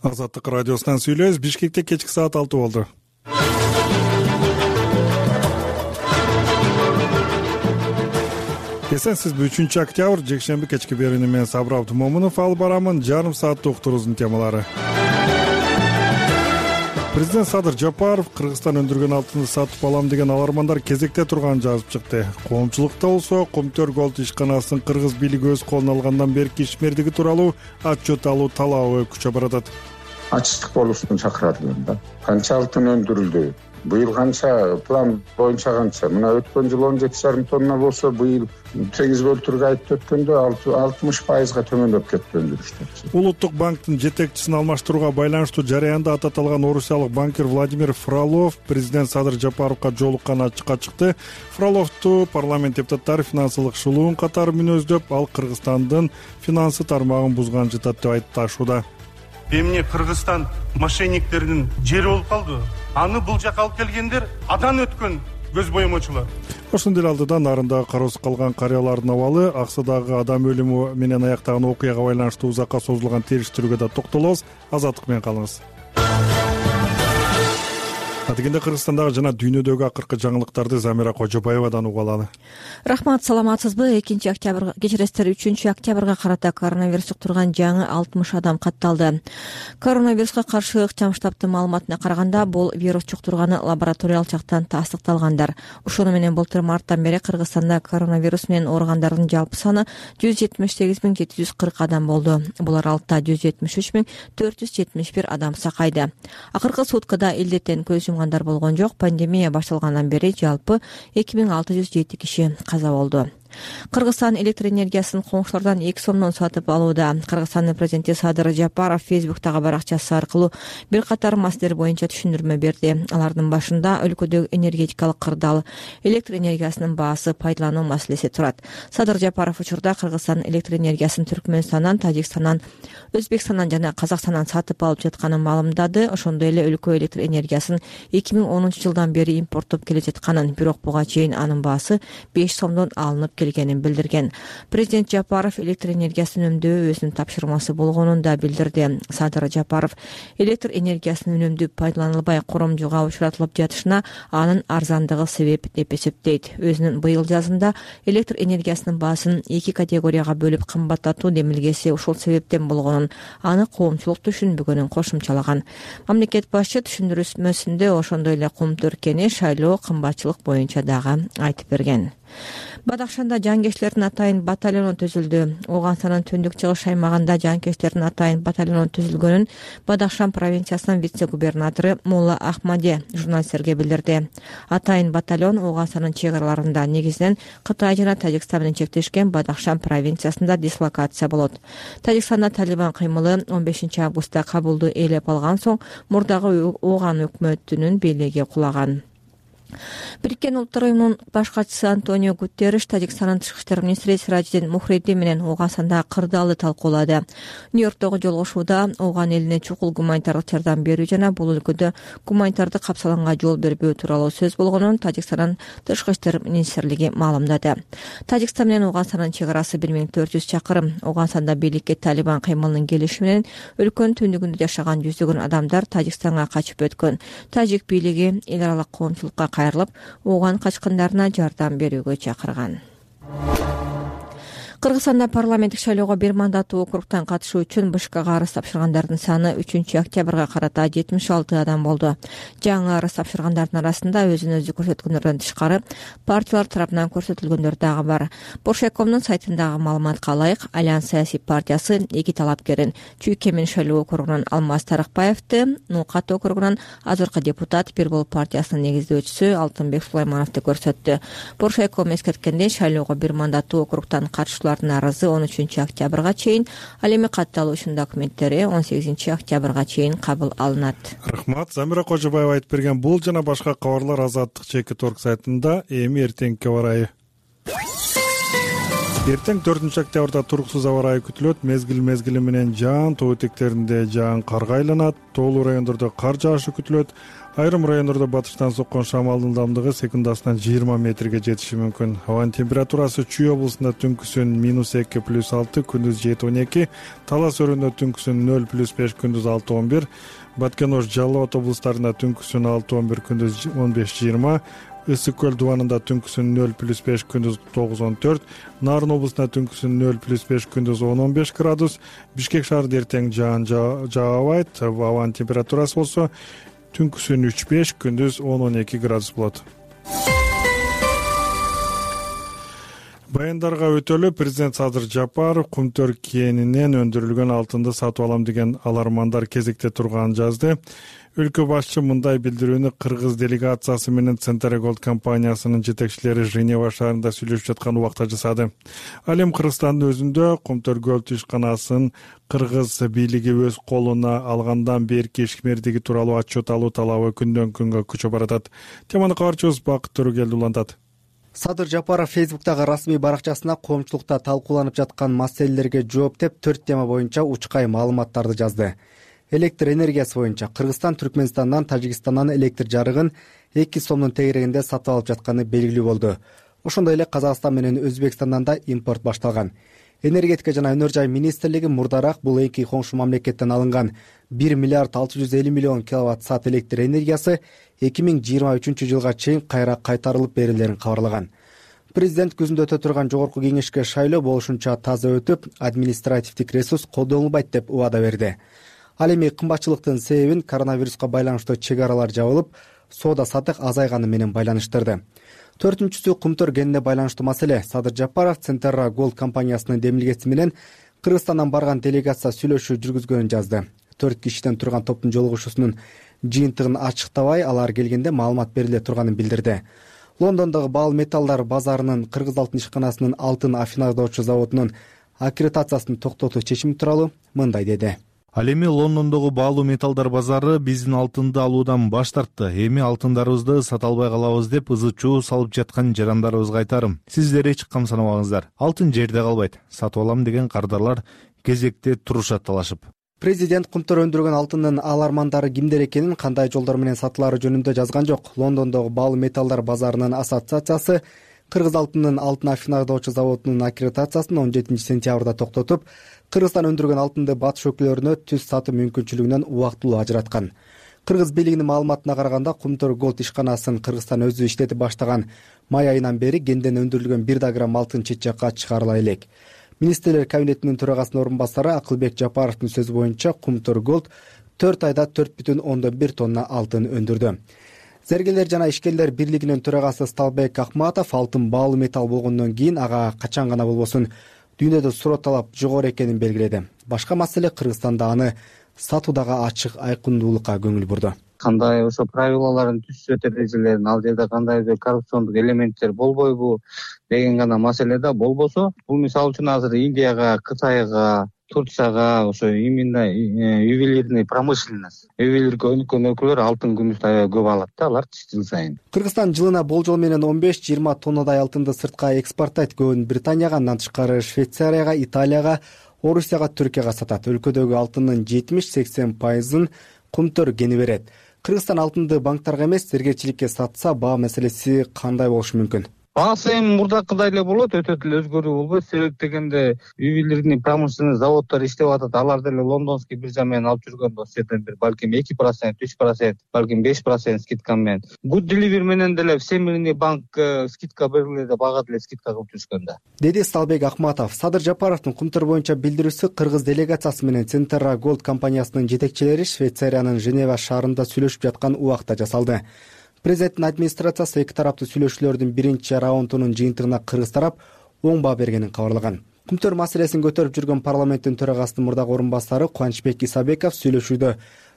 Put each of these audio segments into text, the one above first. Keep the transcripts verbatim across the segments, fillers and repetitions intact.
Азаттык радиосунан сүйлөйбүз. Бишкекте кечки саат алты болду. Эсенсизби? үчүнчү октябрь жекшемби кечки берүүнү мен Сабыр Абдымомунов алып барамын. Жарым сааттык уктуруубуздун темалары. Президент Садыр Жапаров Кыргызстан өндүргөн алтынды сатып алам деген алармандар кезекте турганын жазып чыкты. Коомчулукта болсо Комтөр Голд ишканасынын кыргыз бийлиги өз колуна алгандан берки ишмердиги тууралуу отчет алуу талабы күчө баратат. Ачыктык болушун чакырат да. Канча алтын өндүрүлдү? Быйыл канча, план боюнча канча? Мына өткөн жыл он жети жарым тонна болсо, быйыл сегиз бөлтүргө айтып өткөндө алтымыш пайызга төмөндөп кетти өндүрүштөр. Улуттук банктын жетекчисин алмаштырууга байланыштуу жараянда ат аталган орусиялык банкир Владимир Фролов президент Садыр Жапаровго жолукканы ачыкка чыкты. Фроловду парламент депутаттары финансылык шулуун катары мүнөздөп, ал Кыргызстандын финансы тармагын бузган жатат деп айтышууда. Эмне Кыргызстан мошенниктердин жери болуп калды. Аны бул жака алып келгендер адан өткөн көз боемочулар. Ошондой алдыда нарында кароосуз калган карыялардын абалы, Аксыдагы адам өлүмү менен аяктаган окуяга байланыштуу узакка созулган териштирүүгө да токтолобуз. Азаттык менен калыңыз. Дегенде Кыргызстандагы жана дүйнөдөгү акыркы жаңылыктарды Замира Кожобаевадан угуп алалы. Рахмат, саламатсызбы? экинчи октябрь кечиресиздер, үчүнчү октябрга карата коронавирус жуктурган жаңы алтымыш адам катталды. Коронавируска каршы ыкчам штабтын маалыматына караганда, бул вирус жуктурганы лабораториялык жактан тастыкталгандар. Ошону менен былтыр марттан бери Кыргызстанда коронавирус менен ооругандардын жалпы саны жүз жетимиш сегиз миң жети жүз кырк адам болду. Бул аралыкта жүз жетимиш үч миң төрт жүз жетимиш бир адам сакайды. Акыркы суткада илдеттен көз жумгандар болгон жок. Пандемия башталгандан бери жалпы эки миң алты жүз жети киши каза болду. Кыргызстан электр энергиясын коңшулардан эки сомдон сатып алууда. Кыргызстандын президенти Садыр Жапаров Фейсбуктагы баракчасы аркылуу бир катар маселелер боюнча түшүндүрмө берди. Алардын башында өлкөдөгү энергетикалык кырдаал, электр энергиясынын баасы пайдалануу маселеси турат. Садыр Жапаров учурда Кыргызстан электр энергиясын Түркмөнстандан, Тажикстандан, Өзбекстандан жана Казакстандан сатып алып жатканын маалымдады. Ошондой эле өлкө электр энергиясын эки миң онунчу жылдан бери импорттоп келе жатканын, бирок буга чейин анын баасы беш сомдон алынып келгенин билдирген. Президент Жапаров электр энергиясын үнөмдөө өзүнүн тапшырмасы болгонун да билдирди. Садыр Жапаров электр энергиясын үнөмдүү пайдаланылбай коромжуга учуратылып жатышына анын арзандыгы себеп деп эсептейт. Өзүнүн быйыл жазында электр энергиясынын баасын эки категорияга бөлүп кымбаттатуу демилгеси ушул себептен болгонун, аны коомчулук түшүнбөгөнүн кошумчалаган. Мамлекет башчы түшүндүрмөсүндө ошондой эле Кумтөркени шайлоо кымбатчылык боюнча дагы айтып берген. Бадахшанда жанкечтердин атайын батальону түзүлдү. Ооганстандын түндүк чыгыш аймагында жанкечтердин атайын батальону түзүлгөнүн Бадахшан провинциясынын вице-губернатору Мулла Ахмаде журналисттерге билдирди. Атайын батальон Ооганстандын чек араларында, негизинен Кытай жана Тажикстан менен чектешкен Бадахшан провинциясында дислокация болот. Тажикстанда Талибан кыймылы он бешинчи августта Кабулду ээлеп алган соң мурдагы Ооган өкмөтүнүн бийлиги кулаган. Бириккен Улуттар уюмунун баш катчысы Антонио Гутерриш Тажикстандын тышкы иштер министри Сиражиддин Мухридди менен Ооганстандагы кырдаалды талкуулады. Нью-Йорктогу жолугушууда Ооган элине чукул гуманитардык жардам берүү жана бул өлкөдө гуманитардык капсаланга жол бербөө тууралуу сөз болгонун Тажикстандын тышкы иштер министрлиги маалымдады. Тажикстан менен Ооганстандын чек арасы бир миң төрт жүз чакырым. Ооганстанда бийликке Талибан кыймылынын келиши менен өлкөнүн түндүгүндө жашаган жүздөгөн адамдар Тажикстанга качып өткөн. Тажик бийлиги эл аралык коомчулукка кайрылып, Ооган качкындарына жардам берүүгө чакырган. Кыргызстанда парламенттик шайлоого бир мандаттуу округтан катышуу үчүн БШКга арыз тапшыргандардын саны үчүнчү октябрга карата жетимиш алты адам болду. Жаңы арыз тапшыргандардын арасында өзүн өзү көрсөткөндөрдөн тышкары партиялар тарабынан көрсөтүлгөндөр дагы бар. Боршайкомдун сайтындагы маалыматка ылайык, Альянс саясий партиясы эки талапкерин Чүйкемин шайлоо округунан Алмаз Тарыкбаевди, Нукат округунан азыркы депутат Бир Болуп партиясынын негиздөөчүсү Алтынбек Сулаймановду көрсөттү. Боршайком эскерткендей, шайлоого бир мандаттуу округтан катышуулар арызы он үчүнчү октябрга чейин, ал эми катталуушунун документтери он сегизинчи октябрга чейин кабыл алынат. Рахмат. Замира Кожобаева айтып берген бул жана башка кабарлар Азаттык чеки торг сайтында. Эми эртеңки аба ырайы. Эртең төртүнчү октябрда туруксуз аба ырайы күтүлөт. Мезгил мезгили менен жаан, тоо этектеринде жаан карга айланат. Тоолуу райондордо кар жаашы күтүлөт. Айрым райондордо батыштан соккон шамалдын ылдамдыгы секундасынан жыйырма метрге жетиши мүмкүн. Абанын температурасы Чүй облусунда түнкүсүн минус эки плюс алты, күндүз жети он эки, Талас өрүндө түнкүсүн нөл плюс беш, күндүз алты он бир, Баткен Ош, Жалал Абад облустарында түнкүсүн алты он бир, күндүз он беш жыйырма, Ысык көл дубанында түнкүсүн нөл плюс беш, күндүз тогуз он төрт, Нарын облусунда түнкүсүн нөл плюс беш, күндүз он он беш градус, Бишкек шаарында эртең жаан жаабайт, абанын температурасы болсо түнкүсүн үч беш, күндүз он он эки градус болот. Баяндарга өтөлү президент Садыр Жапаров Кумтөр кенинен өндүрүлгөн алтынды сатып алам деген алармандар кезекте турганын жазды. Өлкө башчы мындай билдирүүнү кыргыз делегациясы менен Центра Голд компаниясынын жетекчилери Женева шаарында сүйлөшүп жаткан убакта жасады. Ал эми Кыргызстандын өзүндө Кумтөр Голд ишканасын кыргыз бийлиги өз колуна алгандан берки ишмердиги тууралуу отчет алуу талабы күндөн күнгө күчөп баратат. Теманы кабарчыбыз Бакыт Төрөгелди улантат. Садыр Жапаров Фейсбуктагы расмий баракчасына коомчулукта талкууланып жаткан маселелерге жооп деп төрт тема боюнча учкай маалыматтарды жазды. Электр энергиясы боюнча Кыргызстан Түркмөнстандан, Тажикстандан электр жарыгын эки сомдун тегерегинде сатып алып жатканы белгилүү болду. Ошондой эле Казакстан менен Өзбекстандан да импорт башталган. Энергетика жана өнөр жай министрлиги мурдараак бул эки коңшу мамлекеттен алынган бир миллиард алты жүз элүү миллион киловатт саат электр энергиясы эки миң жыйырма үчүнчү жылга чейин кайра кайтарылып берилерин кабарлаган. Президент күзүндө өтө турган жогорку кеңешке шайлоо болушунча таза өтүп, административдик ресурс колдонулбайт деп убада берди. Ал эми кымбатчылыктын себебин коронавируска байланыштуу чек аралар жабылып, соода саттык азайганы менен байланыштырды. Төртүнчүсү Кумтөр кенине байланыштуу маселе. Садыр Жапаров Центра Голд компаниясынын демилгеси менен Кыргызстандан барган делегация сүйлөшүү жүргүзгөнүн жазды. Төрт кишиден турган топтун жолугушуусунун жыйынтыгын ачыктабай, алар келгенде маалымат бериле турганын билдирди. Лондондогу баал металлдар базарынын Кыргыз алтын ишканасынын алтын афинадоочу заводунун аккредитациясын токтотуу чечими тууралуу мындай деди. Ал эми Лондондогу баалуу металлдар базары биздин алтынды алуудан баш тартты. Эми алтындарыбызды сата албай калабыз деп ызы чуу салып жаткан жарандарыбызга айтарым. Сиздер эч кам санабаңыздар. Алтын жерде калбайт. Сатып алам деген кардарлар кезекте турушат талашып. Президент Кумтөр өндүргөн алтындын алармандары кимдер экенин, кандай жолдор менен сатылары жөнүндө жазган жок. Лондондогу баалуу металлдар базарынын ассоциациясы Кыргыз алтынынын алтын афинадоочу заводунун аккредитациясын он жетинчи сентябрда токтотуп, Кыргызстан өндүргөн алтынды батыш өлкөлөрүнө түз сатуу мүмкүнчүлүгүнөн убактылуу ажыраткан. Кыргыз бийлигинин маалыматына караганда, Кумтөр Голд ишканасын Кыргызстан өзү иштетип баштаган май айынан бери кенден өндүрүлгөн бир да грамм алтын чет жакка чыгарыла элек. Министрлер кабинетинин төрагасынын орун басары Акылбек Жапаровдун сөзү боюнча, Кумтөр Голд төрт айда төрт бүтүн ондон бир тонна алтын өндүрдү. Зергерлер жана ишкерлер бирлигинин төрагасы Сталбек Акматов алтын баалуу металл болгондон кийин ага качан гана болбосун дүйнөдө суроо талап жогору экенин белгиледи. Башка маселе Кыргызстанда аны сатуудагы ачык айкындуулукка көңүл бурду. Кандай ошо правилаларын түзүп эрежелерин, ал жерде кандайдыр коррупциондук элементтер болбойбу деген гана маселе да болбосо, бул мисалы үчүн азыр Индияга, Кытайга, Турцияга ошо именно ювелирный промышленность, ювелирге өнүккөн өлкөлөр алтын күмүстү аябай көп алат да, алар жыл сайын. Кыргызстан жылына болжол менен он беш жыйырма тоннадай алтынды сыртка экспорттойт. Көбүн Британияга, андан тышкары Швейцарияга, Италияга, Орусияга, Түркияга сатат. Өлкөдөгү алтындын жетимиш сексен пайызын Кумтөр кени берет. Кыргызстан алтынды банктарга эмес, зергерчиликке сатса, баа маселеси кандай болушу мүмкүн? Баасы эми мурдакыдай эле болот, өтө эле өзгөрүү болбойт. Себеп дегенде ювелирный промышленность заводдор иштеп атат. Алар деле лондонский биржа менен алып жүргөн болсо, жерден бир балким эки процент, үч процент, балким беш процент скидка менен. Good Delivery менен деле Всемирный банк скидка бериле деп ага деле скидка кылып жүрүшкөн да. Деди Сталбек Акматов. Садыр Жапаровдун Кумтөр боюнча билдирүүсү Кыргыз делегациясы менен Центра Голд компаниясынын жетекчилери Швейцариянын Женева шаарында сүйлөшүп жаткан убакта жасалды. Президенттин администрациясы эки тараптуу сүйлөшүүлөрдүн биринчи раундунун жыйынтыгына Кыргыз тарап оң баа бергенин кабарлаган. Кумтөр маселесин көтөрүп жүргөн парламенттин төрагасынын мурдагы орун басары Кубанычбек Исабеков сүйлөшүүдө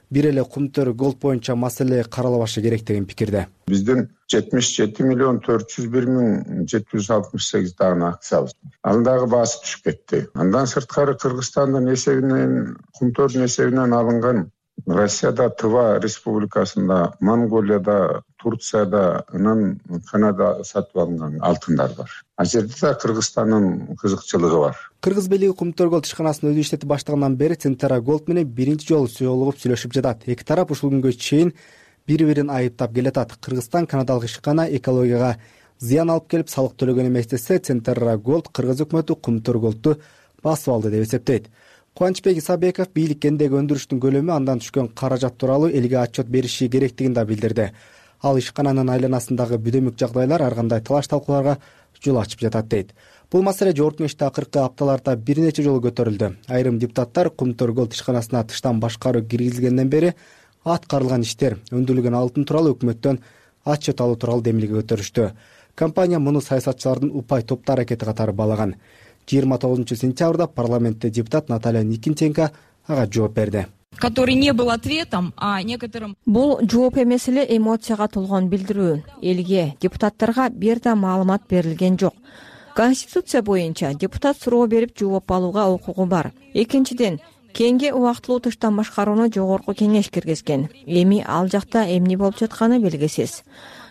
бир эле Кумтөр Голд боюнча маселе каралбашы керек деген пикирде. Биздин жетимиш жети миллион төрт жүз бир миң жети жүз алтымыш сегиз дана акциябыз. Алдагы баасы түшүп кетти. Андан сырткары Кыргызстандын эсебинен, Кумтөрдүн эсебинен алынган Россияда, Тыва республикасында, Монголияда, Турцияда, анан Канада сатып алынган алтындар бар. А жерде да Кыргызстандын кызыкчылыгы бар. Кыргыз бийлиги Кумтөр Голд ишканасын өзү иштетип баштагандан бери Центра Голд менен биринчи жолу жолугуп сүйлөшүп жатат. Эки тарап ушул күнгө чейин бири бирин айыптап келатат. Кыргызстан канадалык ишкана экологияга зыян алып келип салык төлөгөн эмес десе, Центрра Голд кыргыз өкмөтү Кумтөр Голдту басып алды деп эсептейт. Кубанычбек Исабеков бийликкендеги өндүрүштүн көлөмү, андан түшкөн каражат тууралуу элге отчет бериши керектигин да билдирди. Ал ишкананын айланасындагы бүдөмүк жагдайлар ар кандай талаш талкууларга жол ачып жатат дейт. Бул маселе жогорку кеңеште акыркы апталарда бир нече жолу көтөрүлдү. Айрым депутаттар Кумтөр Голд ишканасына тыштан башкаруу киргизилгенден бери аткарылган иштер, өндүрүлгөн алтын тууралуу өкмөттөн отчет алуу тууралуу демилге көтөрүштү. Компания муну саясатчылардын упай топтуу аракети катары баалаган. жыйырма тогузунчу сентябрда парламентте депутат Наталья Никитенко ага жооп берди. Который не был ответом, а некоторым... Бул жооп эмес эле эмоцияга толгон билдирүү. Элге, депутаттарга бир да маалымат берилген жок. Конституция боюнча депутат суроо берип жооп алууга укугу бар. Экинчиден, кеңге убактылуу тыштан башкарууну жогорку кеңеш киргизген. Эми ал жакта эмне болуп жатканы белгисиз.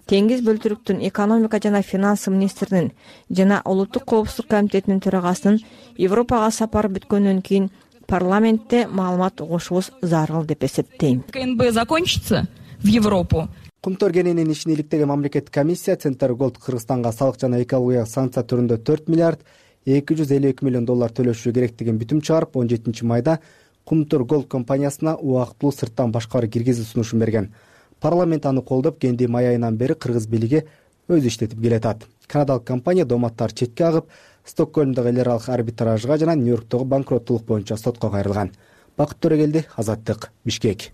Теңиз бөлтүрүктүн экономика жана финансы министринин жана улуттук коопсуздук комитетинин төрагасынын Европага сапары бүткөндөн кийин парламентте маалымат угушубуз зарыл деп эсептейм. КНБ закончится в Европу. Кумтөр кененин ишин иликтеген мамлекеттик комиссия Центр Голд Кыргызстанга салык жана экологиялык санкция түрүндө төрт миллиард эки жүз элүү эки миллион доллар төлөшү керектигин бүтүм чыгарып, он жетинчи майда Кумтөр Голд компаниясына убактылуу сырттан башкаруу киргизүү сунушун берген. Парламент аны колдоп, кенди май айынан бери кыргыз бийлиги өзү иштетип келатат. Канадалык компания доматтар четке агып, Стокгольмдогу эл аралык арбитражга жана Нью-Йорктогу банкроттулук боюнча сотко кайрылган. Бакыт Төрөгелди, Азаттык, Бишкек.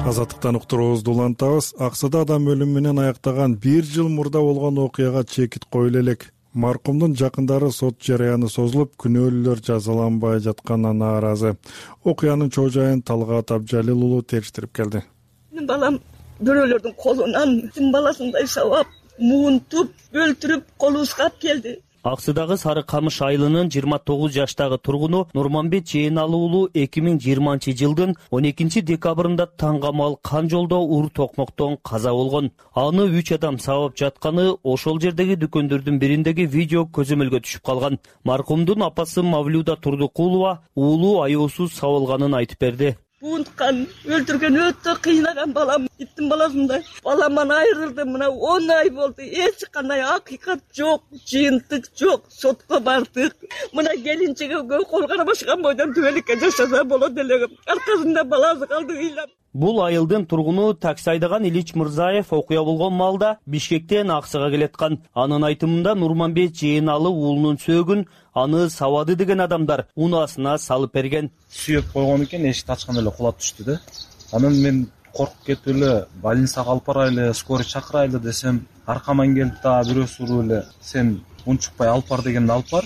Азаттыктан уктуруубузду улантабыз. Аксыда адам өлүмү менен аяктаган бир жыл мурда болгон окуяга чекит коюла элек. Маркумдун жакындары сот жарыяны созулуп, күнөөлүүлөр жазаланбай жатканына нааразы. Окуянын чоо жайын Талгат Абжалил уулу териштирип келди. Менин балам бирөөлөрдүн колунан тим баласындай сабап, муунтуп, өлтүрүп, колубузга алып келди. Аксыдагы Сары Камыш айылынын жыйырма тогуз жаштагы тургуну Нурманбет Жээналы уулу эки миң жыйырманчы жылдын он экинчи декабрында таң камал кан жолдо ур токмоктон каза болгон. Аны үч адам сабап жатканы ошол жердеги дүкөндөрдүн бириндеги видео көзөмөлгө түшүп калган. Маркумдун апасы Мавлюда Турдукулова уулу аеосуз сабылганын айтып берди. Буунткан, өлтүргөн өтө кыйнаган балам, иттин баласындай. Баламан айрылды, мына он ай болду. Эч кандай акыйкат жок, жыйынтык жок. Сотко бардык. Мына келинчеге кол карабашкан бойдон түбөлүккө жашаса болот эле. Аркасында баласы калды ыйлап. Бул айылдын тургуну такси айдаган Илич Мырзаев окуя болгон маалда Бишкектен Аксыга келаткан. Анын айтымында Нурманбет Жээналы уулунун сөөгүн аны сабады деген адамдар унаасына салып берген. Сүйөп койгон экен, эшикти ачканда эле кулап түштү да. Анан мен коркуп кетип эле больницага алып барайлы, скорый чакырайлы десем, аркаман келип да бирөөсү уруп эле сен унчукпай алып бар дегенде алып бар.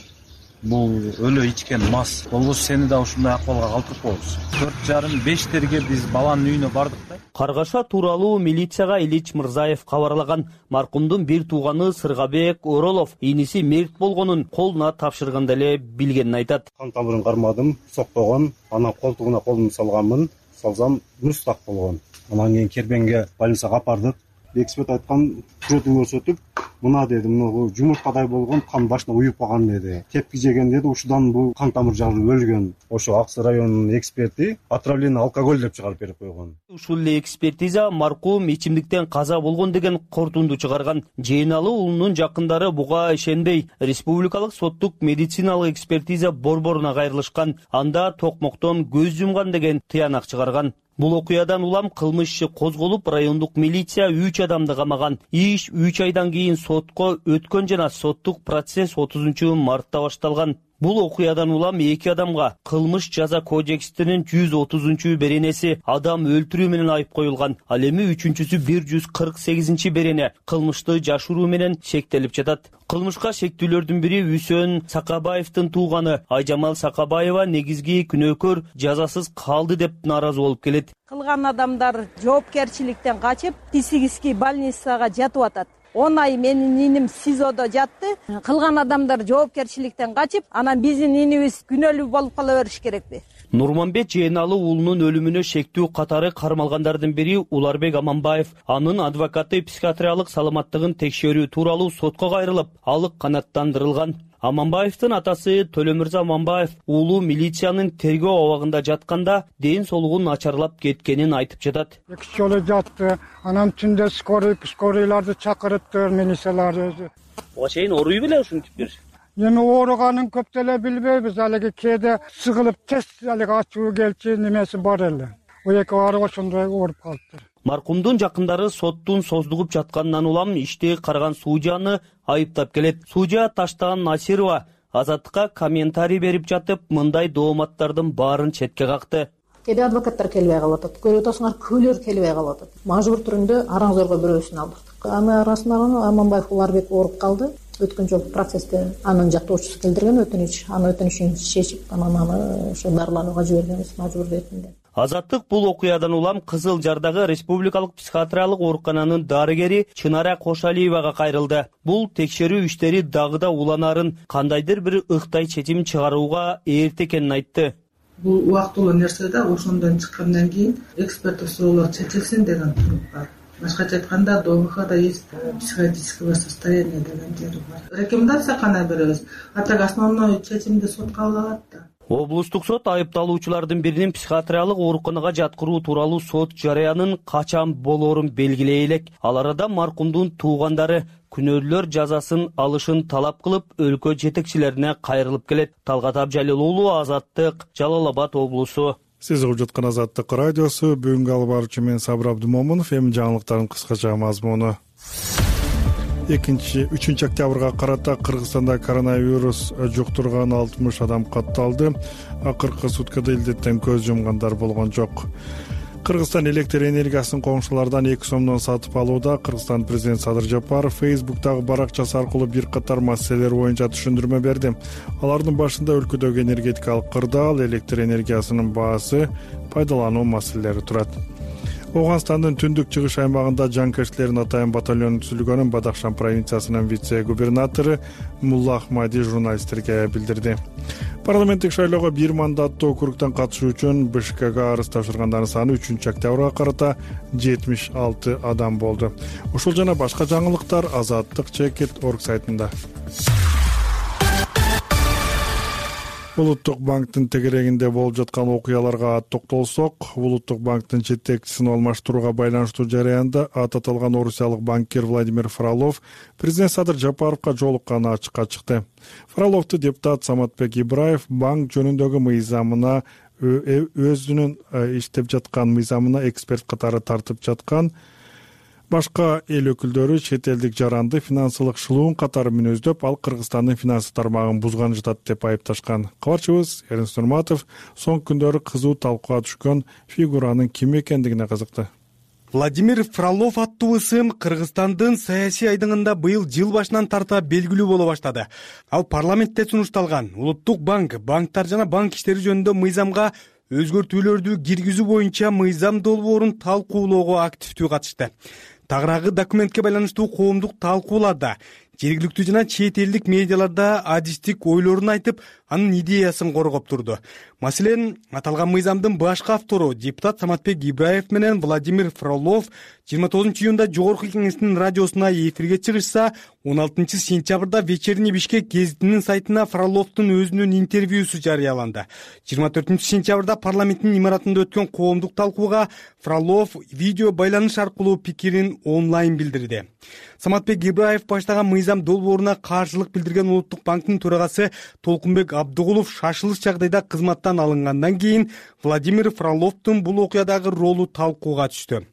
Бул өлө ичкен мас. Болбосо сени да ушундай акыбалга калтырып коебуз. төрт жарым бештерге биз баланын үйүнө бардык да. Каргаша тууралуу милицияга Илич Мырзаев кабарлаган. Маркумдун бир тууганы Сыргабек Оролов иниси мерт болгонун колуна тапшырганда эле билгенин айтат. Кан тамырын кармадым, сокпогон, анан колтугуна колумду салганмын, салсам мустак болгон. Анан кийин Кербенге больницага апардык. Эксперт айткан күрөтүн көрсөтүп, мына деди, мына жумурткадай болгон, кан башына уюп калган деди. Тепки жеген деди, ушудан бул кан тамыр жарылып өлгөн. Ошо Аксы районунун эксперти отравление алкоголь деп чыгарып берип койгон. Ушул эле экспертиза маркум ичимдиктен каза болгон деген кортунду чыгарган. Жээналы уулунун жакындары буга ишенбей, республикалык соттук медициналык экспертиза борборуна кайрылышкан. Анда токмоктон көз жумган деген тыянак чыгарган. Бул окуядан улам кылмыш иши козголуп, райондук милиция үч адамды камаган. Иш үч айдан кийин сотко өткөн жана соттук процесс отузунчу мартта башталган. Бул окуядан улам эки адамга кылмыш жаза кодексинин жүз отузунчу беренеси адам өлтүрүү менен айып коюлган. Ал эми үчүнчүсү бир жүз кырк сегизинчи берене кылмышты жашыруу менен шектелип жатат. Кылмышка шектүүлөрдүн бири Үсөн Сакабаевдин тууганы Айжамал Сакабаева негизги күнөөкөр жазасыз калды деп нааразы болуп келет. Кылган адамдар жоопкерчиликтен качып, психический больницага жатып атат. он ай менин иним СИЗОдо жатты. Кылган адамдар жоопкерчиликтен качып, анан биздин инибиз күнөөлүү болуп кала бериш керекпи? Нурманбет Жээналы уулунун өлүмүнө шектүү катары кармалгандардын бири Уларбек Аманбаев. Анын адвокаты психиатриялык саламаттыгын текшерүү тууралуу сотко кайрылып, алык канааттандырылган. Аманбаевдин атасы Төлөмүрза Аманбаев уулу милициянын тергөө абагында жатканда ден соолугун начарлап кеткенин айтып жатат. Эки жолу жатты, анан түндө скорый, скорийларды чакырыптыр, милициялар өзү. Буга чейин ооруй беле ушинтип бир? Эми ооруганын көп деле билбейбиз, алиги кээде сыгылып тез алиги ачуу келчү немеси бар эле. О эки баары ошондой ооруп калыптыр. Маркумдун жакындары соттун создугуп жатканынан улам ишти караган судьяны айыптап келет. Судья Таштаган Насирова Азаттыкка комментарий берип жатып, мындай дооматтардын баарын четке какты. Кээде адвокаттар келбей калып атат, көрүп атасыңар көлөр келбей калып атат. Мажбур түрүндө араңзорго бирөөсүн алдырдык. Аны арасында Аманбаев Уларбек ооруп калды. Өткөн жолку процессте анын жактоочусу келтирген өтүнүч, анын өтүнүчүн чечип, анан аны ошо дарыланууга жибергенбиз мажбур ретинде. Азаттык бул окуядан улам Кызыл Жардагы республикалык психиатриялык оорукананын дарыгери Чынара Кошалиевага кайрылды. Бул текшерүү иштери дагы да уланарын, кандайдыр бир ыктай чечим чыгарууга эрте экенин айтты. Бул убактылуу нерсе да, ошондон чыккандан кийин эксперттик суроолор чечилсин деген туруп бар. Башкача айтканда, ДОМХда есть психологическое состояние деген жери бар. Рекомендация кандай беребиз? А так основной чечимди сот кабыл алат да. Облустук сот айыпталуучулардын биринин психиатриялык ооруканага жаткыруу тууралуу сот жарыянын качан болоорун белгилей элек. Ал арада маркумдун туугандары күнөөлөр жазасын алышын талап кылып, өлкө жетекчилерине кайрылып келет. Талгат Абжалил уулу, Азаттык, Жалал Абад облусу. Сиз угуп жаткан Азаттык радиосу. Бүгүнкү алып баруучу мен Сабыр Абдымомунов. Эми жаңылыктардын кыскача мазмуну. экинчи үчүнчү октябрга карата Кыргызстанда коронавирус жуктурган алтымыш адам катталды. Акыркы суткада илдеттен көз жумгандар болгон жок. Кыргызстан электр энергиясын коңшулардан эки сомдон сатып алууда. Кыргызстан президент Садыр Жапаров Фейсбуктагы баракчасы аркылуу бир катар маселелер боюнча түшүндүрмө берди. Алардын башында өлкөдөгү энергетикалык кырдаал, электр энергиясынын баасы, пайдалануу маселелери турат. Оганстандын түндүк чыгыш аймагында жанкечтилердин атайын батальону түзүлгөнүн Бадахшан провинциясынын вице-губернатору Мулла Ахмади журналисттерге билдирди. Парламенттик шайлоого бир мандаттуу округтан катышуу үчүн Бишкекке арыз тапшыргандардын саны үчүнчү октябрга карата жетимиш алты адам болду. Ушул жана башка жаңылыктар азаттык чекит точка орг сайтында. Улуттук банктын тегерегинде болуп жаткан окуяларга токтолсок, Улуттук банктын жетекчисин алмаштырууга байланыштуу жараянда аты аталган орусиялык банкир Владимир Фролов президент Садыр Жапаровго жолукканы ачыкка чыкты. Фроловду депутат Саматбек Ибраев банк жөнүндөгү мыйзамына өзүнүн иштеп жаткан мыйзамына эксперт катары тартып жаткан башка эл өкүлдөрү чет элдик жаранды финансылык шылуун катары мүнөздөп, ал Кыргызстандын финансы тармагын бузган жатат деп айыпташкан. Кабарчыбыз Эрнст Нурматов соңку күндөрү кызуу талкууга түшкөн фигуранын ким экендигине кызыкты. Владимир Фролов аттуу ысым Кыргызстандын саясий айдыңында быйыл жыл башынан тарта белгилүү боло баштады. Ал парламентте сунушталган Улуттук банк, банктар жана банк иштери жөнүндө мыйзамга өзгөртүүлөрдү киргизүү боюнча мыйзам долбоорун талкуулоого активдүү катышты. Тагыраагы документке байланыштуу коомдук талкууларда жергиликтүү жана чет элдик медиаларда адистик ойлорун айтып, анын идеясын коргоп турду. Маселен, аталган мыйзамдын башкы автору депутат Саматбек Ибраев менен Владимир Фролов жыйырма тогузунчу июнда жогорку кеңештин радиосуна эфирге чыгышса, он алтынчы сентябрда Вечерний Бишкек гезитинин сайтына Фроловдун өзүнүн интервьюсу жарыяланды. жыйырма төртүнчү сентябрда парламенттин имаратында өткөн коомдук талкууга Фролов видео байланыш аркылуу пикирин онлайн билдирди. Саматбек Ибраев баштаган мыйзам долбооруна каршылык билдирген Улуттук банктын төрагасы Толкунбек Абдыгулов шашылыш жагдайда кызматтан алынгандан кийин Владимир Фроловдун бул окуядагы ролу талкууга түштү.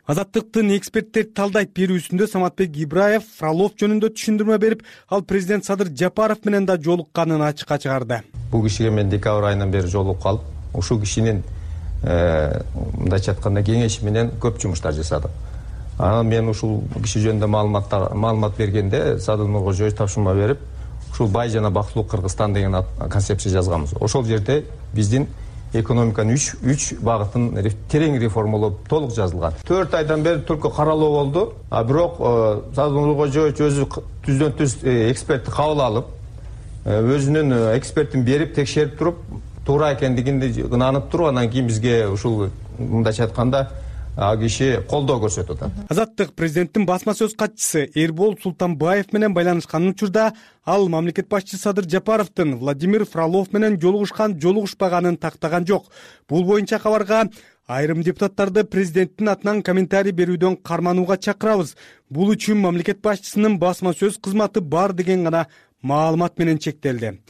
Азаттыктын эксперттер талдайт берүүсүндө Саматбек Ибраев Фролов жөнүндө түшүндүрмө берип, ал президент Садыр Жапаров менен да жолукканын ачыкка чыгарды. Бул кишиге мен декабрь айынан бери жолугуп калып, ушул кишинин мындайча айтканда кеңеши менен көп жумуштар жасадым. Анан мен ушул киши жөнүндө маалыматтар маалымат бергенде Садыр Нуркожоевич тапшырма берип, ушул бай жана бактылуу Кыргызстан деген концепция жазганбыз. Ошол жерде биздин экономиканын үч үч багытын терең реформалоо толук жазылган. төрт айдан бери только каралуу болду. А бирок Садыр Нуркожоевич өзү түздөн түз экспертти кабыл алып, өзүнүн экспертин берип текшерип туруп, туура экендигин ынанып туруп, анан кийин бизге ушул мындайча айтканда ал киши колдоо көрсөтүп атат. Азаттык президенттин басма сөз катчысы Эрбол Султанбаев менен байланышкан учурда ал мамлекет башчысы Садыр Жапаровдун Владимир Фролов менен жолугушкан жолугушпаганын тактаган жок. Бул боюнча кабарга айрым депутаттарды президенттин атынан комментарий берүүдөн карманууга чакырабыз. Бул үчүн мамлекет башчысынын басма сөз кызматы бар деген гана маалымат менен чектелди.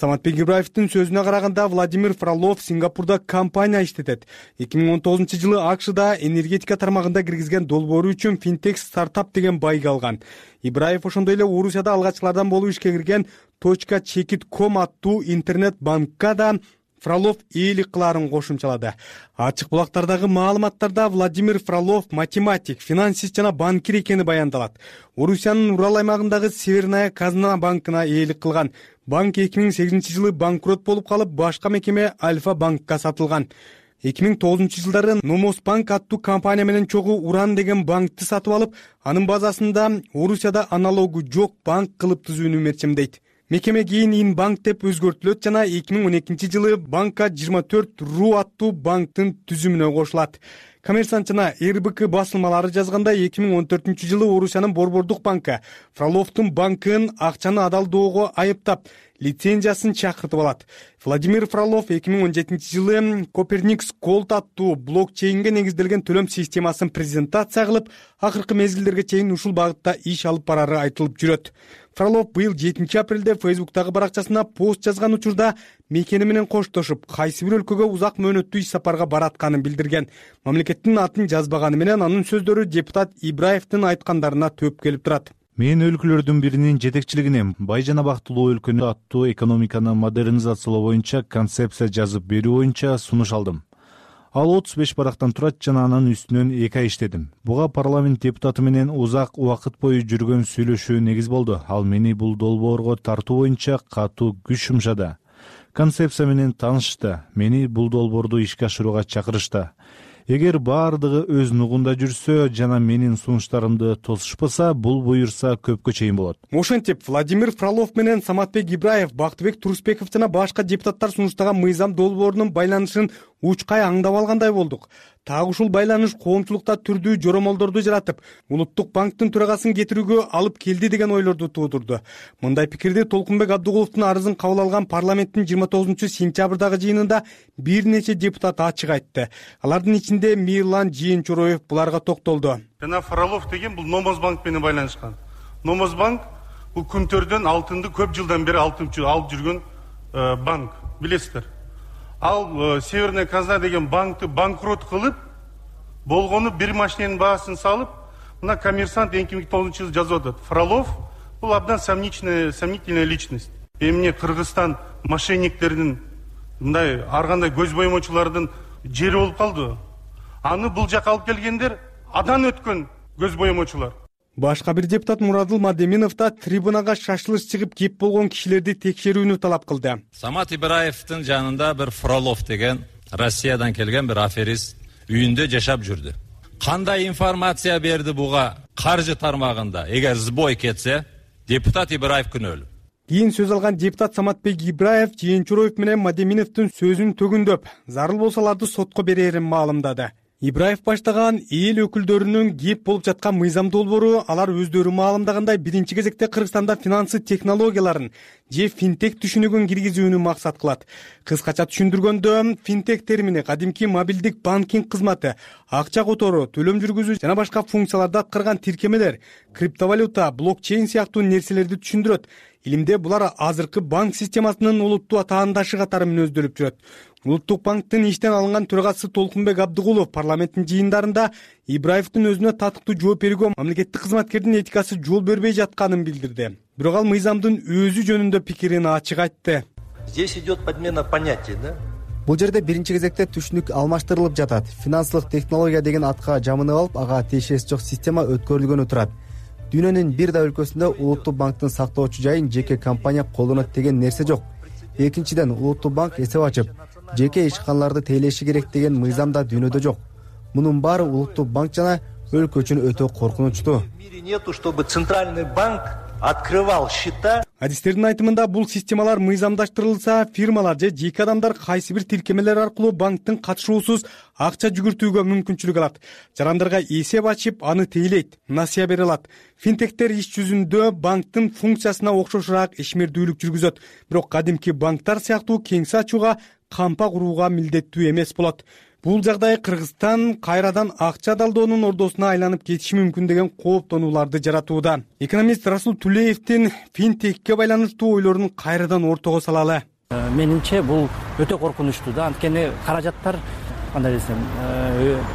Саматбек Ибраевдин сөзүнө караганда Владимир Фролов Сингапурда компания иштетет. эки миң он тогузунчу жылы АКШда энергетика тармагында киргизген долбоору үчүн финтек стартап деген байга алган. Ибраев ошондой эле Орусияда алгачкылардан болуп ишке кирген точка чекит ком аттуу интернет банкка да Фролов ээлик кылаарын кошумчалады. Ачык булактардагы маалыматтарда Владимир Фролов математик, финансист жана банкир экени баяндалат. Орусиянын Урал аймагындагы Северная Казна банкына ээлик кылган. Банк эки миң сегизинчи жылы банкрот болуп калып, башка мекеме Альфа банкка сатылган. эки миң тогузунчу жылдары Номос банк аттуу компания менен чогуу Уран деген банкты сатып алып, анын базасында Орусияда аналогу жок банк кылып түзүүнү мерчемдейт. Мекеме кийин Инбанк деп өзгөртүлөт жана эки миң он экинчи жылы банкка жыйырма төрт ру аттуу банктын түзүмүнө кошулат. Коммерсант жана эр бэ ка басылмалары жазганда эки миң он төртүнчү жылы Орусиянын Борбордук банкы Фроловдун банкын акчаны адалдоого айыптап, лицензиясын чакыртып алат. Владимир Фролов эки миң он жетинчи жылы Коперникс Gold аттуу блокчейнге негизделген төлөм системасын презентация кылып, акыркы мезгилдерге чейин ушул багытта иш алып барары айтылып жүрөт. Фролов быйыл жетинчи апрелде Фейсбуктагы баракчасына пост жазган учурда мекени менен коштошуп, кайсы бир өлкөгө узак мөөнөттүү иш сапарга баратканын билдирген. Мамлекеттин атын жазбаганы менен анын сөздөрү депутат Ибраевдин айткандарына төп келип турат. Мен өлкөлөрдүн биринин жетекчилигине бай жана бактылуу өлкөнү аттуу экономиканы модернизациялоо боюнча концепция жазып берүү боюнча сунуш алдым. Ал отуз беш барактан турат жана анын үстүнөн эки ай иштедим. Буга парламент депутаты менен узак убакыт бою жүргөн сүйлөшүү негиз болду. Ал мени бул долбоорго тартуу боюнча катуу күч жумшады. Концепция менен таанышты. Мени бул долбоорду ишке ашырууга чакырышты. Эгер баардыгы өз нугунда жүрсө жана менин сунуштарымды тосушпаса, бул буюрса көпкө чейин болот. Ошентип, Владимир Фролов менен Саматбек Ибраев, Бактыбек Турусбеков жана башка депутаттар сунуштаган мыйзам долбоорунун байланышын учкай аңдап алгандай болдук. Так ушул байланыш коомчулукта түрдүү жоромолдорду жаратып, Улуттук банктын төрагасын кетирүүгө алып келди деген ойлорду туудурду. Мындай пикирди Толкунбек Абдыгуловдун арызын кабыл алган парламенттин жыйырма тогузунчу сентябрдагы жыйынында бир нече депутат ачык айтты. Алардын ичинде Мирлан Жээнчороев буларга токтолду. Жана Фролов деген бул Номос банк менен байланышкан. Номос банк бул күнтөрдөн алтынды көп жылдан бери алып жүргөн банк, билесиздер. Ал Северная Казна деген банкты банкрот кылып, болгону бир машиненин баасын салып, мына коммерсант эки миң тогузунчу жылы жазып атат. Фролов бул абдан сомнительная, сомнительная личность. Эмне Кыргызстан мошенниктеринин, мындай ар кандай көз боемочулардын жери болуп калды. Аны бул жака алып келгендер адан өткөн көз боемочулар. Башка бир депутат Мурадыл Мадеминов да трибунага шашылыш чыгып кеп болгон кишилерди текшерүүнү талап кылды. Самат Ибраевдин жанында бир Фролов деген Россиядан келген бир аферист үйүндө жашап жүрдү. Кандай информация берди буга каржы тармагында? Эгер сбой кетсе, депутат Ибраев күнөөлүү. Кийин сөз алган депутат Саматбек Ибраев Жээнчороев менен Мадеминовдун сөзүн төгүндөп, зарыл болсо аларды сотко берерин маалымдады. Ибраев баштаган эл өкүлдөрүнүн кеп болуп жаткан мыйзам долбоору алар өздөрү маалымдагандай биринчи кезекте Кыргызстанда финансы технологияларын же финтек түшүнүгүн киргизүүнү максат кылат. Кыскача түшүндүргөндө, финтек термини кадимки мобилдик банкинг кызматы, акча которуу, төлөм жүргүзүү жана башка функцияларды аткарган тиркемелер, криптовалюта, блокчейн сыяктуу нерселерди түшүндүрөт. Илимде булар азыркы банк системасынын улуттуу атаандашы катары мүнөздөлүп жүрөт. Улуттук банктын иштен алынган төрагасы Толкунбек Абдыгулов парламенттин жыйындарында Ибраевдин өзүнө татыктуу жооп берүүгө мамлекеттик кызматкердин этикасы жол бербей жатканын билдирди. Бирок ал мыйзамдын өзү жөнүндө пикирин ачык айтты. Здесь идет подмена понятий, да? Бул жерде биринчи кезекте түшүнүк алмаштырылып жатат. Финансылык технология деген атка жамынып алып, ага тиешеси жок система өткөрүлгөнү турат. Дүйнөнүн бир да өлкөсүндө Улуттук банктын сактоочу жайын жеке компания колдонот деген нерсе жок. Экинчиден, Улуттук банк эсеп ачып, жеке ишканаларды тейлеши керек деген мыйзам да дүйнөдө жок. Мунун баары Улуттук банк жана өлкө үчүн өтө коркунучтуу. В мире нету, чтобы центральный банк открывал счета. Адистердин айтымында бул системалар мыйзамдаштырылса, фирмалар же жеке адамдар кайсы бир тиркемелер аркылуу банктын катышуусуз акча жүгүртүүгө мүмкүнчүлүк алат. Жарандарга эсеп ачып, аны тейлейт, насыя бере алат. Финтектер иш жүзүндө банктын функциясына окшошураак ишмердүүлүк жүргүзөт. Бирок кадимки банктар сыяктуу кеңсе ачууга, кампа курууга милдеттүү эмес болот. Бул жагдай Кыргызстан кайрадан акча далдоонун ордосуна айланып кетиши мүмкүн деген кооптонууларды жаратууда. Экономист Расул Тулеевдин финтекке байланыштуу ойлорун кайрадан ортого салалы. Менимче бул өтө коркунучтуу да, анткени каражаттар кандай десем,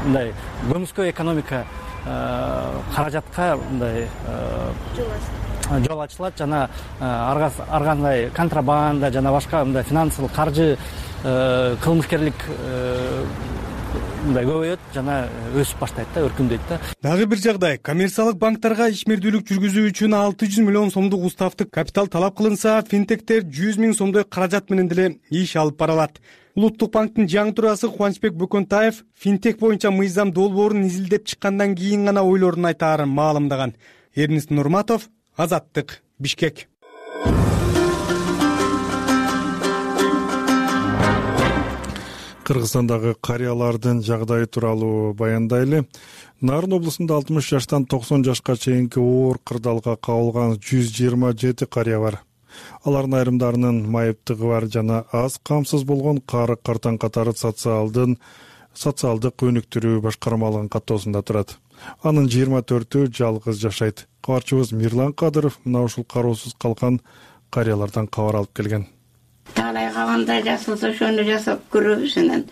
мындай көмүскө экономика каражатка мындай жол ачылат жана ар кандай контрабанда жана башка мындай финансылык каржы кылмышкерлик мындай көбөйөт жана өсүп баштайт да, өркүндөйт да. Дагы бир жагдай, коммерциялык банктарга ишмердүүлүк жүргүзүү үчүн алты жүз миллион сомдук уставдык капитал талап кылынса, финтектер жүз миң сомдой каражат менен деле иш алып бара алат. Улуттук банктын жаңы төрагасы Кубанычбек Бөкөнтаев финтек боюнча мыйзам долбоорун изилдеп чыккандан кийин гана ойлорун айтаарын маалымдаган. Эрнест Нурматов, Азаттык, Бишкек. Кыргызстандагы карыялардын жагдайы тууралуу баяндайлы. Нарын облусунда алтымыш жаштан токсон жашка чейинки оор кырдаалга кабылган жүз жыйырма жети карыя бар. Алардын айрымдарынын майыптыгы бар жана аз камсыз болгон кары картан катары социалдын социалдык өнүктүрүү башкармалыгынын каттоосунда турат. Анын жыйырма төртү жалгыз жашайт. Кабарчыбыз Мирлан Кадыров мына ушул кароосуз калган карыялардан кабар алып келген. Талай калганда жасалса ошону жасап көрөбүз анан.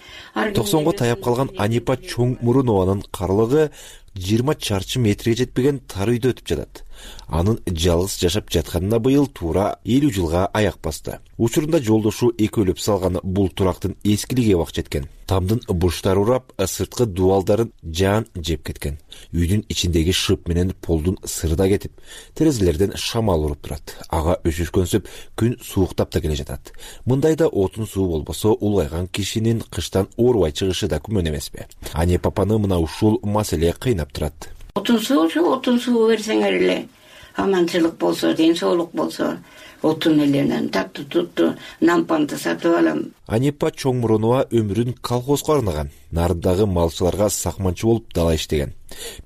токсонго таяп калган Анипа Чоңмурунованын карлыгы жыйырма чарчы метрге жетпеген тар үйдө өтүп жатат. Анын жалгыз жашап жатканына быйыл туура элүү жылга аяк басты. Учурунда жолдошу экөөлөп салган бул турактын эскилиги убак жеткен. Тамдын буштары урап, сырткы дубалдарын жаан жеп кеткен. Үйдүн ичиндеги шып менен полдун сыры да кетип, терезелерден шамал уруп турат. Ага өшүшкөнсүп күн сууктап да келе жатат. Мындайда отун суу болбосо, улгайган кишинин кыштан оорубай чыгышы да күмөн эмеспи? Ане папаны мына ушул маселе кыйнап турат. Отун суу, отун суу берсеңер эле аманчылык болсо, ден соолук болсо, отун эленен таттуу туттуу нампанды сатып алам. Анипа Чоңмурунова өмүрүн колхозго арнаган. Нарындагы малчыларга сакманчы болуп дала иштеген.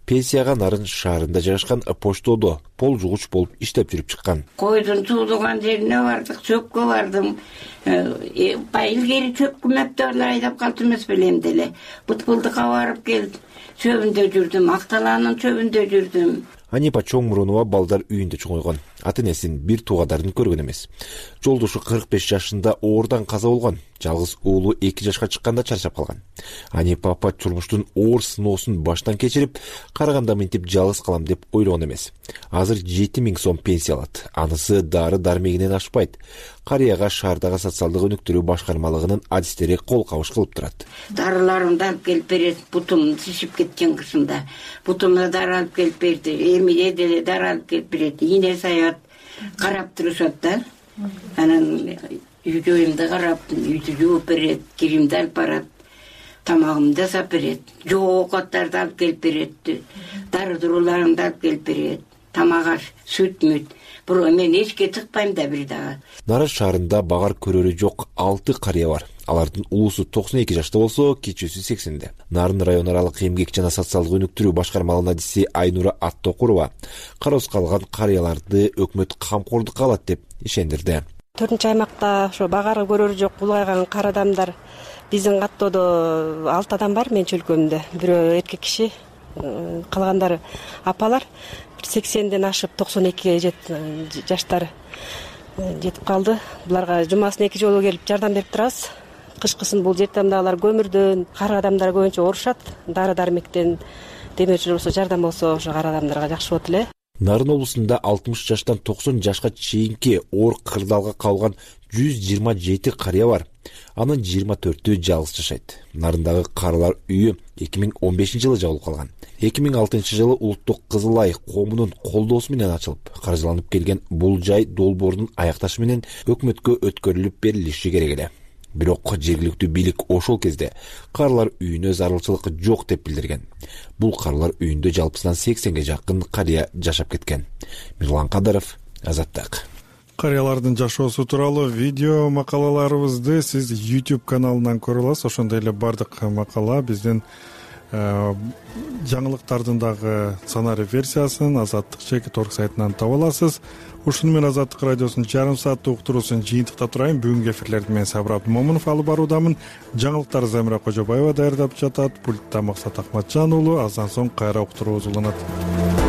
Пенсияга Нарын шаарында жайгашкан поштодо пол жугуч болуп иштеп жүрүп чыккан. Койдун суудуган жерине бардык, чөпкө бардым. Илгери чөп күмөптөрү айдап калды эмес белем деле. Бутпулдукка барып келдим. Чөбүндө жүрдүм, Акталаанын чөбүндө жүрдүм. Анипа Чоңмурунова балдар үйүндө чоңойгон. Ата-энесин бир туугадарын көргөн эмес. Жолдошу кырк беш жашында оордан каза болгон. Жалгыз уулу эки жашка чыкканда чарчап калган. Анипа апа турмуштун оор сыноосун баштан кечирип, караганда мынтип жалгыз калам деп ойлогон эмес. Азыр жети миң сом пенсия алат. Анысы дары дармегинен ашпайт. Карыяга шаардагы социалдык өнүктүрүү башкармалыгынын адистери кол кабыш кылып турат. Дарыларымды алып келип берет, бутум шишип кеткен кышында. Бутумда дары алып келип берди, эмиде деле дары алып келип берет. Ийне саят карап турушат да. Анан үй-жайымды карап, үйдү жууп берет, киримди алып барат, тамагымды жасап берет, жоо овкаттарды алып келип берет, дары дуруларымды алып келип берет, тамак аш, сүт-мүт. Бирок мен эчке тыкпайм да бир дагы. Нарын шаарында багар көрөрү жок алты карыя бар. Алардын улуусу токсон эки жашта болсо, кичүүсү сексенде. Нарын район аралык эмгек жана социалдык өнүктүрүү башкармалыгынын адиси Айнура Аттокурова кароосуз калган карыяларды өкмөт камкордукка алат деп ишендирди. төртүнчү аймакта ошо багары көрөрү жок улгайган кара адамдар биздин каттоодо алты адам бар менин чөлкөмдө. Бирөө эркек киши, калгандары апалар. сексенден ашып токсон экиге жаштары жетип калды. Буларга жумасына эки жолу келип жардам берип турабыз. Кышкысын бул жертамдагылар көмүрдөн, кара адамдар көбүнчө оорушат. Дары дармектен демечү болсо, жардам болсо ошо кара адамдарга жакшы болот эле. Нарын облусунда алтымыш жаштан токсон жашка чейинки оор кырдаалга кабылган жүз жыйырма жети карыя бар. Анын жыйырма төртү жалгыз жашайт. Нарындагы карылар үйү эки миң он бешинчи жылы жабылып калган. эки миң алтынчы жылы Улуттук Кызыл Ай коомунун колдоосу менен ачылып, каржыланып келген бул жай долбоордун аякташы менен өкмөткө өткөрүлүп берилиши керек эле. Бирок жергиликтүү бийлик ошол кезде карылар үйүнө зарылчылык жок деп билдирген. Бул карылар үйүндө жалпысынан сексенге жакын карыя жашап кеткен. Мирлан Кадыров, Азаттык. Карыялардын жашоосу тууралуу видео макалаларыбызды сиз YouTube каналынан көрө аласыз. Ошондой эле бардык макала биздин жаңылыктардын дагы сценарий версиясын азаттык чекит орг сайтынан таба аласыз. Ушуну менен Азаттык радиосунун жарым сааттык уктуруусун жыйынтыктап турайын. Бүгүнкү эфирлерди мен Сабыр Абдымомунов алып баруудамын. Жаңылыктарды Замира Кожобаева даярдап жатат. Пультта Максат Акматжан уулу. Аздан соң кайра уктуруубуз уланат.